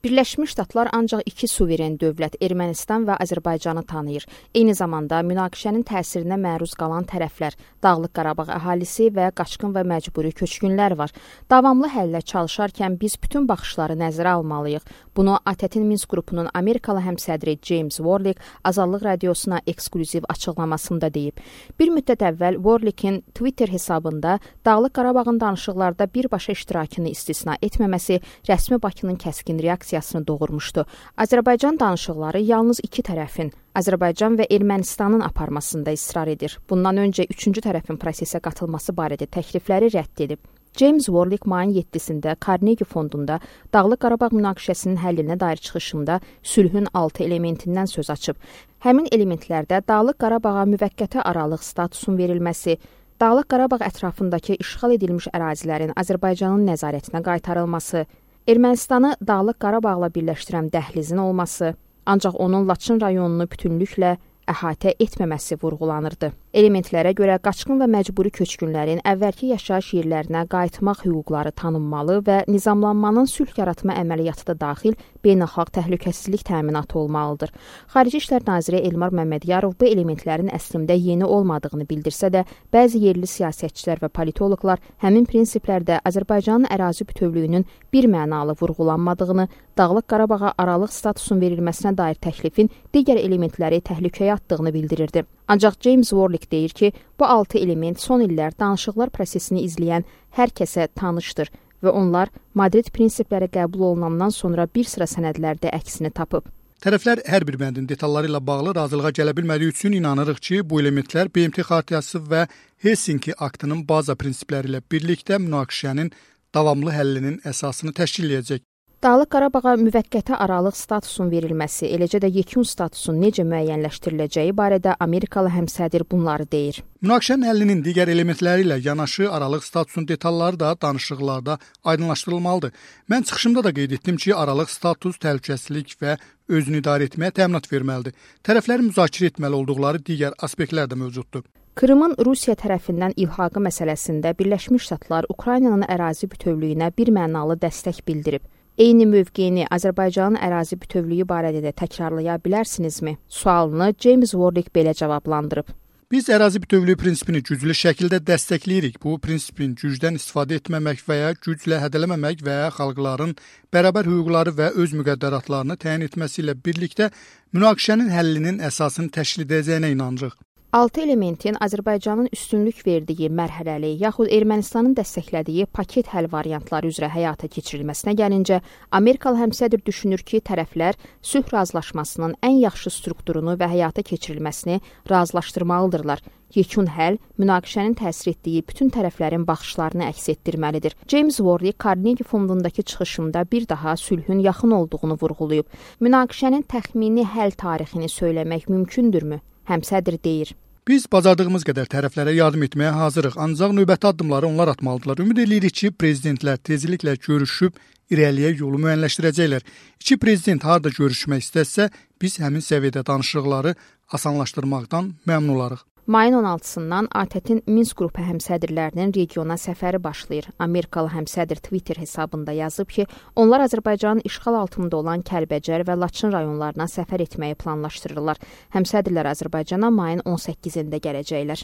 Birləşmiş Ştatlar ancaq iki suveren dövlət Ermənistan və Azərbaycanı tanıyır. Eyni zamanda münaqişənin təsirinə məruz qalan tərəflər, Dağlıq Qarabağ əhalisi və qaçqın və məcburi köçkünlər var. Davamlı həllə çalışarkən biz bütün baxışları nəzərə almalıyıq. Bunu ATƏT-in Minsk qrupunun Amerikalı həmsədri James Warlick Azadlıq Radiosuna eksklüziv açıqlamasında deyib. Bir müddət əvvəl Warlick'in Twitter hesabında Dağlıq Qarabağın danışıqlarda birbaşa iştirakını istisna etməməsi rəsmi Bakının kəskin reaksiyasını doğurmuşdu. Azərbaycan danışıqları yalnız iki tərəfin, Azərbaycan və Ermənistanın aparmasında israr edir. Bundan öncə üçüncü tərəfin prosesə qatılması barədə təklifləri rədd edib. James Warlick mayın 7-sində Carnegie fondunda Dağlıq Qarabağ münaqişəsinin həllinə dair çıxışında sülhün 6 elementindən söz açıb. Həmin elementlərdə Dağlıq Qarabağa müvəqqəti aralıq statusun verilməsi, Dağlıq Qarabağ ətrafındakı işğal edilmiş ərazilərin Azərbaycanın nəzarətinə qaytarılması, Ermənistanı Dağlıq Qarabağla birləşdirən dəhlizin olması, ancaq onun Laçın rayonunu bütünlüklə əhatə etməməsi vurğulanırdı. Elementlərə görə qaçqın və məcburi köçkünlərin əvvəlki yaşayış yerlərinə qayıtmaq hüquqları tanınmalı və nizamlanmanın sülh yaratma əməliyyatı da daxil beynəlxalq təhlükəsizlik təminatı olmalıdır. Xarici İşlər Naziri Elmar Məmmədiyarov bu elementlərin əslində yeni olmadığını bildirsə də, bəzi yerli siyasətçilər və politoloqlar həmin prinsiplərdə Azərbaycanın ərazi bütövlüyünün bir mənalı vurğulanmadığını, Dağlıq Qarabağa aralıq statusun verilməsinə dair təklifin digər elementləri təhlükəyə atdığını bildirirdi. Ancaq James Warlick deyir ki, bu 6 element son illər danışıqlar prosesini izləyən hər kəsə tanışdır və onlar Madrid prinsipləri qəbul olunandan sonra bir sıra sənədlərdə əksini tapıb. Tərəflər hər bir bəndin detalları ilə bağlı razılığa gələ bilmədiyi üçün inanırıq ki, bu elementlər BMT Xartiyası və Helsinki aktının baza prinsipləri ilə birlikdə münaqişənin davamlı həllinin əsasını təşkil edəcək. Dağlıq Qarabağa müvəqqəti aralıq statusun verilməsi, eləcə də yekun statusun necə müəyyənləşdiriləcəyi barədə Amerikalı həmsədr bunları deyir. Münaqişənin həllinin digər elementləri ilə yanaşı aralıq statusun detalları da danışıqlarda aydınlaşdırılmalıdır. Mən çıxışımda da qeyd etdim ki, aralıq status təhlükəsizlik və özünü idarə etməyə təminat verməlidir. Tərəflərin müzakirə etməli olduqları digər aspektlər də mövcuddur. Krımın Rusiya tərəfindən ilhaqı məsələsində Birləşmiş Ştatlar Ukraynanın ərazi bütövlüyünə bir mənalı dəstək bildirib. Eyni mövqeyini Azərbaycanın ərazi bütövlüyü barədə də təkrarlaya bilərsinizmi? Sualını James Warlick belə cavablandırıb. Biz ərazi bütövlüyü prinsipini güclü şəkildə dəstəkləyirik. Bu prinsipin gücdən istifadə etməmək və ya güclə hədələməmək və ya xalqların bərabər hüquqları və öz müqəddəratlarını təyin etməsi ilə birlikdə münaqişənin həllinin əsasını təşkil edəcəyinə inanırıq. 6 elementin Azərbaycanın üstünlük verdiyi mərhələli yaxud Ermənistanın dəstəklədiyi paket həll variantları üzrə həyata keçirilməsinə gəlincə, Amerikalı həmsədr düşünür ki, tərəflər sülh razılaşmasının ən yaxşı strukturunu və həyata keçirilməsini razılaşdırmalıdırlar. Yekun həll münaqişənin təsir etdiyi bütün tərəflərin baxışlarını əks etdirməlidir. James Warlick Carnegie fondundakı çıxışında bir daha sülhün yaxın olduğunu vurğulayıb. Münaqişənin təxmini həll tarixini söyləmək mümkündürmü? Həmsədr deyir. Biz bacardığımız qədər tərəflərə yardım etməyə hazırıq, ancaq növbəti addımları onlar atmalıdırlar. Ümid edirik ki, prezidentlər tezliklə görüşüb irəliyə yolu müəyyənləşdirəcəklər. İki prezident harda görüşmək istəsə, biz həmin səviyyədə danışıqları asanlaşdırmaqdan məmnun olarıq. Mayın 16-sından ATƏT-in Minsk qrupu həmsədrlərinin regiona səfəri başlayır. Amerikalı həmsədr Twitter hesabında yazıb ki, onlar Azərbaycanın işğal altında olan Kəlbəcər və Laçın rayonlarına səfər etməyi planlaşdırırlar. Həmsədrlər Azərbaycana mayın 18-də gələcəklər.